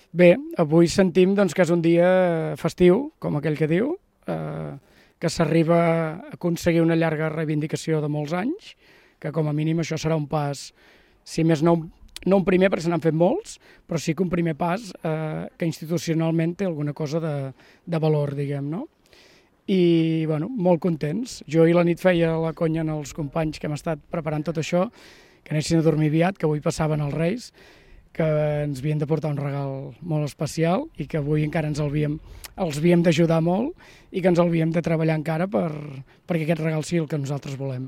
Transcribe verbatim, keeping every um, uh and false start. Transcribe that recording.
Bé, avui sentim doncs, que és un dia festiu, com aquell que diu, eh, que s'arriba a aconseguir una llarga reivindicació de molts anys, que com a mínim això serà un pas, si més no, no un primer, perquè se n'han fet molts, però sí que un primer pas eh, que institucionalment té alguna cosa de, de valor, diguem, no? I, bueno, molt contents. Jo ahir la nit feia la conya als companys que hem estat preparant tot això, que anessin a dormir aviat, que avui passaven els Reis, que ens havien de portar un regal molt especial i que avui encara ens el havíem, els havíem d'ajudar molt i que ens el havíem de treballar encara per, perquè aquest regal sigui el que nosaltres volem.